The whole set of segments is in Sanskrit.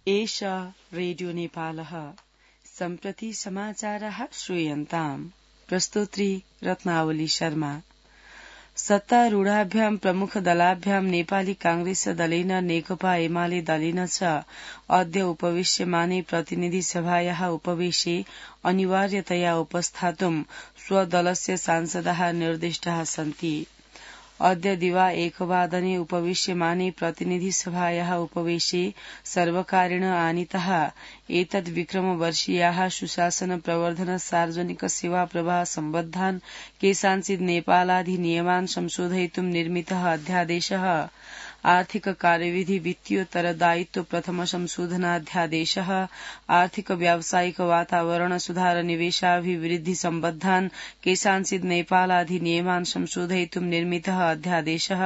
एष रेडियो नेपालः सम्प्रति समाचारः श्रूयन्ताम्। प्रस्तोत्री रत्नावली शर्मा। सत्तारूढाभ्यां प्रमुख दलाभ्यां नेपाली कांग्रेस दलेन नेकपा एमाले दलेन च अद्य उपवेश्यमाने प्रतिनिधि सभायाः उपवेशे अनिवार्यतया उपस्थातुं स्वदलस्य सांसदाः निर्दिष्टाः सन्ति। अद्य दिवा 1:00 उपवेश्यमाने प्रतिनिधि सभायाः उपवेशे सर्वकारेण आनीताः एतद्विक्रमवर्षीयाः सुशासन प्रवर्धन सार्वजनिक सेवा प्रवाह सम्बद्धान् केषाञ्चित् नेपालाधिनियमान् संशोधयितुं निर्मितः अध्यादेशः, आर्थिक कार्यविधि वित्तीयोत्तरदायित्व प्रथम संशोधनाध्यादेशः, आर्थिक व्यावसायिक वातावरण सुधार निवेशाभिवृद्धि सम्बद्धान् केषाञ्चित् नेपालाधिनियमान् संशोधयितुं निर्मितः अध्यादेशः,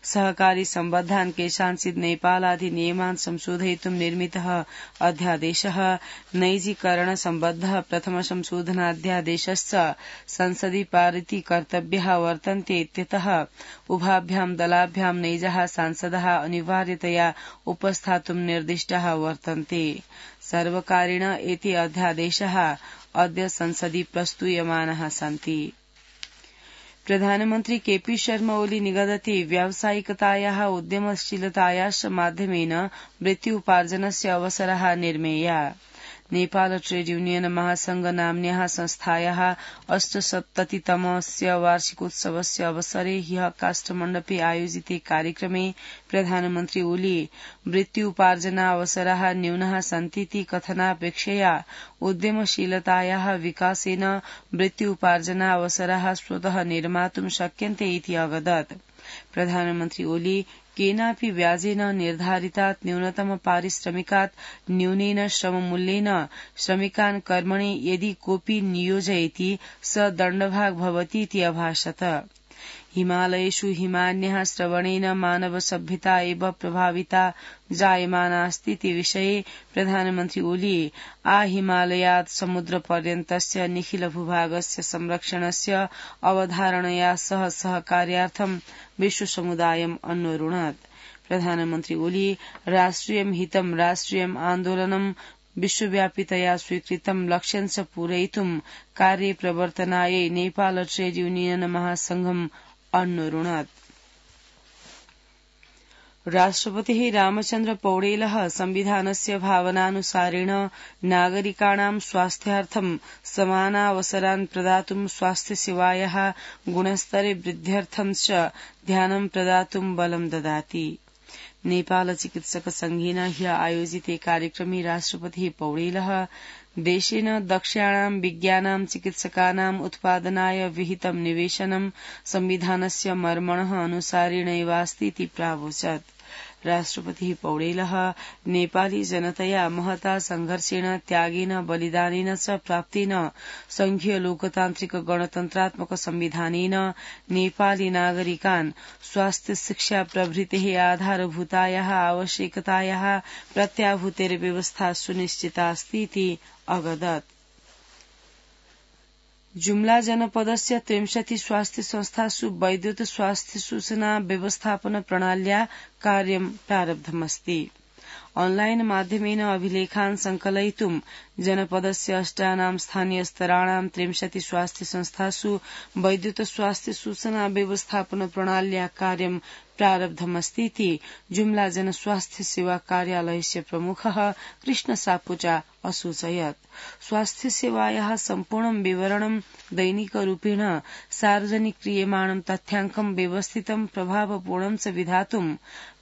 सहकारी सम्बद्धान् केषाञ्चित् नेपालाधिनियमान् संशोधयितुं निर्मितः अध्यादेशः, नैजीकरण सम्बद्धः प्रथम संशोधनाध्यादेशश्च संसदि पारिति कर्तव्याः वर्तन्ते इत्यतः उभाभ्यां दलाभ्यां नैजः सांसदाः अनिवार्यतया उपस्थातुं निर्दिष्टाः वर्तन्ते। सर्वकारेण एते अध्यादेशाः अद्य संसदि प्रस्तूयमानाः सन्ति। प्रधानमन्त्री केपी शर्मा ओली निगदति व्यावसायिकतायाः उद्यमशीलतायाश्च माध्यमेन वृत्त्युपार्जनस्य अवसराः निर्मेया। नेपाल ट्रेड यूनियन महासंघ नाम्न्याः संस्थायाः 78तमस्य वार्षिकोत्सवस्य अवसरे ह्यः काष्ठमण्डपे आयोजिते कार्यक्रमे प्रधानमन्त्री ओली वृत्त्युपार्जनावसराः न्यूनाः सन्तीति कथनापेक्षया उद्यमशीलतायाः विकासेन वृत्त्युपार्जनावसराः स्वतः निर्मातुं शक्यन्ते इति अवदत्। प्रधानमन्त्री ओली केनापि व्याजेन निर्धारितात् न्यूनतम पारिश्रमिकात् न्यूनेन श्रममूल्येन श्रमिकान् कर्मणि यदि कोऽपि नियोजयति स दण्डभाग् भवतीति अभाषत। हिमालयेषु हिमान्यः श्रवणेन मानव सभ्यता एव प्रभाविता जायमानास्तीति विषये प्रधानमन्त्री ओली हिमालयात् समुद्रपर्यन्तस्य निखिल भूभागस्य संरक्षणस्य अवधारणया सह सहकार्यार्थं विश्वसमुदायम् अन्वरुणत्। प्रधानमन्त्री ओली राष्ट्रियं हितं राष्ट्रियम् आन्दोलनं विश्वव्यापितया स्वीकृतं लक्ष्यं च पूरयितुं कार्ये प्रवर्तनायै नेपाल ट्रेड यूनियन महासंघम् अन्वरुणत्। राष्ट्रपतिः रामचन्द्र पौडेलः संविधानस्य भावनानुसारेण नागरिकाणां स्वास्थ्यार्थं समानावसरान् प्रदातुं स्वास्थ्यसेवायाः गुणस्तरे वृद्ध्यर्थं च ध्यानं प्रदातुं बलं ददाति। नेपाल चिकित्सक संघेन ह्यः आयोजिते कार्यक्रमे राष्ट्रपतिः पौडेलः देशेन दक्षाणां विज्ञानां चिकित्सकानाम् उत्पादनाय विहितं निवेशनं संविधानस्य मर्मणः अनुसारेणैवास्तीति प्रावोचत्। राष्ट्रपतिः पौडेलः नेपाली जनतया महता संघर्षेण त्यागेन बलिदानेन च प्राप्तेन संघीय लोकतान्त्रिक गणतन्त्रात्मक संविधानेन नेपाली नागरिकान् स्वास्थ्य शिक्षा प्रभृतेः आधारभूतायाः आवश्यकतायाः प्रत्याभूतेर्व्यवस्था सुनिश्चितास्तीति अवदत्। जुम्ला जनपदस्य 63 स्वास्थ्य संस्थासु वैद्युत स्वास्थ्य सूचना व्यवस्थापन प्रणाल्या कार्यं प्रारब्धमस्ति। ऑनलाइन माध्यमेन अभिलेखान् संकलयितुं जनपदस्य 8 स्थानीय स्तराणां 63 स्वास्थ्य संस्थासु वैद्युत स्वास्थ्य सूचना व्यवस्थापन प्रणाल्या कार्यं प्रारब्धमस्तीति जुम्ला जनस्वास्थ्य सेवा कार्यालयस्य प्रमुखः कृष्ण सापुचा असूचयत्। स्वास्थ्य सेवायाः सम्पूर्णं विवरणं दैनिकरूपेण सार्वजनिक क्रियमाणं तथ्याङ्कं व्यवस्थितं प्रभावपूर्णं च विधातुं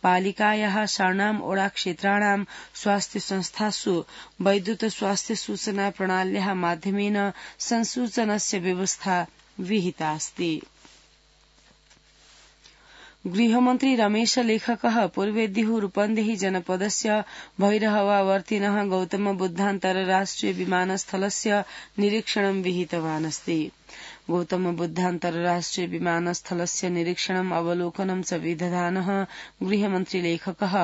पालिकायाः षण्णाम् ओडाक्षेत्राणां स्वास्थ्य संस्थासु वैद्युत स्वास्थ्य सूचना प्रणाल्याः माध्यमेन संसूचनस्य व्यवस्था विहितास्ति। गृहमन्त्री रमेश लेखकः पूर्वेद्युः रूपन्देही जनपदस्य भैरहवावर्तिनः गौतम बुद्धान्तरराष्ट्रिय विमानस्थलस्य निरीक्षणं विहितवान् अस्ति। गौतम बुद्धान्तरराष्ट्रिय विमानस्थलस्य निरीक्षणम् अवलोकनं च विदधानः गृहमन्त्री लेखकः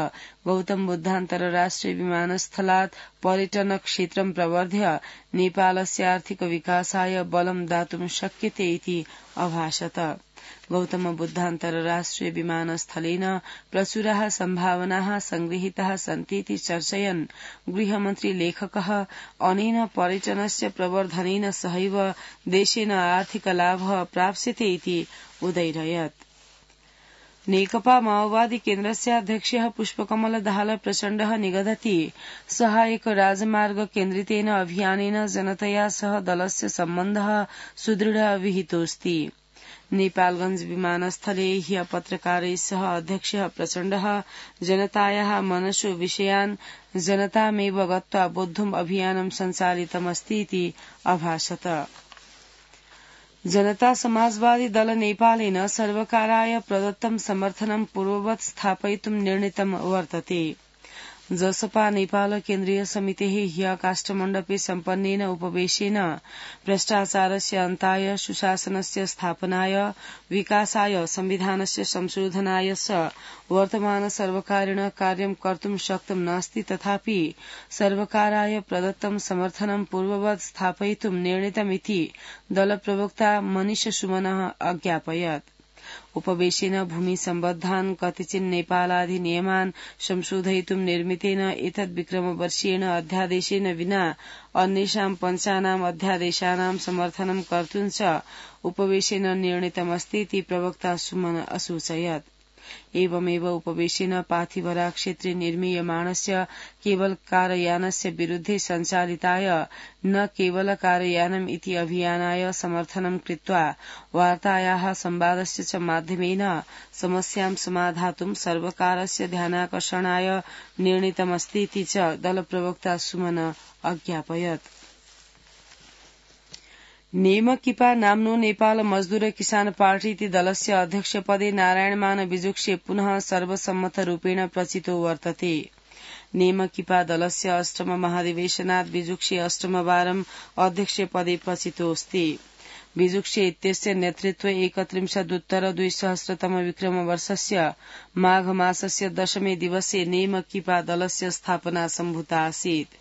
गौतम बुद्धान्तरराष्ट्रिय विमानस्थलात् पर्यटन क्षेत्रं प्रवर्ध्य नेपालस्य आर्थिक विकासाय बलं दातुं शक्यते इति अभाषत। गौतम बुद्ध अन्तर्राष्ट्रिय विमानस्थलेन प्रचुराः सम्भावनाः संगृहीताः सन्तीति चर्चयन् गृहमन्त्री लेखकः अनेन पर्यटनस्य प्रवर्धनेन सहैव देशेन आर्थिक लाभः प्राप्स्यते इति उदैरयत्। नेकपा माओवादी केन्द्रस्य अध्यक्षः पुष्पकमल दाहाल प्रचण्डः निगदति सहायक राजमार्ग केन्द्रितेन अभियानेन जनतया सह दलस्य सम्बन्धः सुदृढः विहितोऽस्ति। नेपालगंज विमानस्थले ह्य पत्रकारैः सह अध्यक्षः प्रचण्डः जनतायाः मनसो विषयान् जनतामेव गत्वा बोद्धुम् अभियानं सञ्चालितमस्ति इति अभाषत। जनता समाजवादी दल नेपालेन सर्वकाराय प्रदत्तं समर्थनं पूर्ववत् स्थापयितुं निर्णीतं वर्तते। जसपा नेपाल केन्द्रीय समितेः ह्य काष्ठमण्डपे सम्पन्नेन उपवेशेन भ्रष्टाचारस्य अन्ताय सुशासनस्य स्थापनाय विकासाय संविधानस्य संशोधनाय च वर्तमान सर्वकारेण कार्यं कर्तुं शक्तं नास्ति तथापि सर्वकाराय प्रदत्तं समर्थनं पूर्ववत् स्थापयितुं निर्णीतमिति दलप्रवक्ता मनीष सुमनः अज्ञापयत्। उपवेशेन भूमि सम्बद्धान् कतिचिन् नेपालाधिनियमान् संशोधयितुं निर्मितेन एतद् विक्रमवर्षीयेण अध्यादेशेन विना अन्येषां पञ्चानाम् अध्यादेशानां समर्थनं कर्तुं च उपवेशेन निर्णीतमस्ति इति प्रवक्ता सुमन असूचयत्। एवमेव उपवेशेन पाथिभरा क्षेत्रे निर्मीयमाणस्य केवल कारयानस्य विरुद्धे सञ्चालिताय न केवल कारयानम् इति अभियानाय समर्थनं कृत्वा वार्तायाः संवादस्य च माध्यमेन समस्यां समाधातुं सर्वकारस्य ध्यानाकर्षणाय निर्णीतमस्ति इति च दलप्रवक्ता सुमन अज्ञापयत्। नेमकिपा नाम्नो नेपाल मजदूर किसान पार्टी इति दलस्य अध्यक्षपदे नारायणमान बिजुक्से पुनः सर्वसम्मतरूपेण प्रचितो वर्तते। नेमकिपा दलस्य अष्टम महाधिवेशनात् बिजुक्से अष्टमवारम् अध्यक्षपदे प्रचितोऽस्ति। बिजुक्से इत्यस्य नेतृत्वे 31 विक्रमवर्षस्य माघ मासस्य 10 दिवसे नेमकिपा दलस्य स्थापना सम्भूता आसीत्।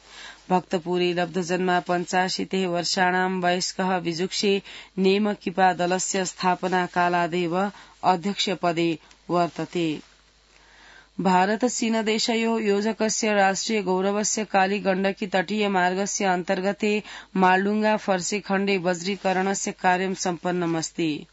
भक्तपुरी लब्धजन्मा 85 वर्षाणां वयस्कः बिजुक्से नेमकिपा दलस्य स्थापना कालादेव अध्यक्षपदे वर्तते। भारत चीन देशयोः योजकस्य राष्ट्रिय गौरवस्य काली गण्डकी तटीय मार्गस्य अन्तर्गते मालडुङ्गा फर्से खण्डे वज्रीकरणस्य कार्यं सम्पन्नमस्ति।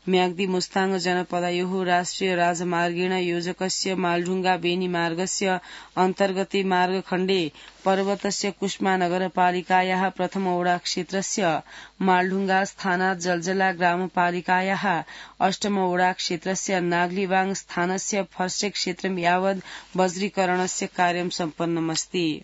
म्याग्दी मुस्ताङ जनपदयोः राष्ट्रिय राजमार्गेण योजकस्य मालडुङ्गा बेनी मार्गस्य अन्तर्गते मार्गखण्डे पर्वतस्य कुष्मा नगरपालिकायाः प्रथम वडा क्षेत्रस्य मालडुङ्गा स्थानात् जलजला ग्रामपालिकायाः अष्टम वडा क्षेत्रस्य नाग्लिबाङ स्थानस्य फर्से क्षेत्रं यावद् वज्रीकरणस्य कार्यं सम्पन्नमस्ति।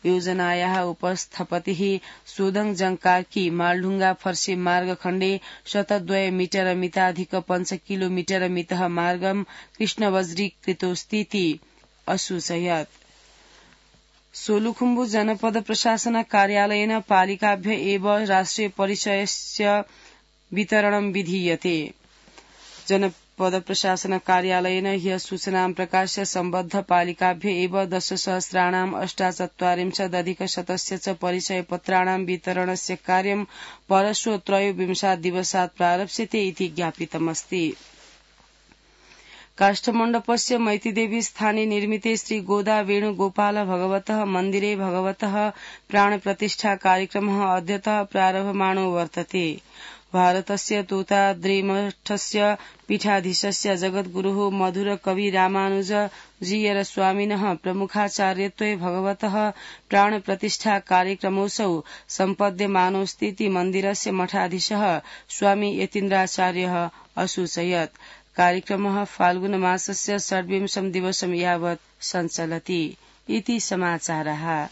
योजनायाः उपस्थपतिः सोदङ जङकाकी मालडुङ्गा फर्से मार्गखण्डे 102 मीटर मिताधिक 5 किलोमीटर मितः मार्गं कृष्णवज्रीकृतोऽस्तीति असूचयत्। सोलुखुम्बु जनपद प्रशासन कार्यालयेन पालिकाभ्य एव राष्ट्रिय परिचयस्य वितरणं विधीयते। जनपद प्रशासन कार्यालयेन ह्य सूचनां प्रकाश्य सम्बद्ध पालिकाभ्य एव 10,48,100 च परिचयपत्राणां वितरणस्य कार्यं परश्व 23 दिवसात् प्रारप्स्यते इति ज्ञापितमस्ति। काष्ठमण्डपस्य मैतीदेवी स्थाने निर्मिते श्री गोदा वेणुगोपाल भगवतः मन्दिरे भगवतः प्राणप्रतिष्ठा कार्यक्रमः अद्यतः प्रारभमाणो वर्तते। भारतस्य तोताद्रिमठस्य पीठाधीशस्य जगद्गुरुः मधुर कवि रामानुज जीयर स्वामिनः प्रमुखाचार्यत्वे भगवतः प्राणप्रतिष्ठा कार्यक्रमोऽसौ सम्पद्यमानोऽस्तीति मन्दिरस्य मठाधीशः स्वामी यतीन्द्राचार्यः असूचयत्। कार्यक्रमः फाल्गुन मासस्य 26 दिवसं यावत् सञ्चलति इति समाचारः।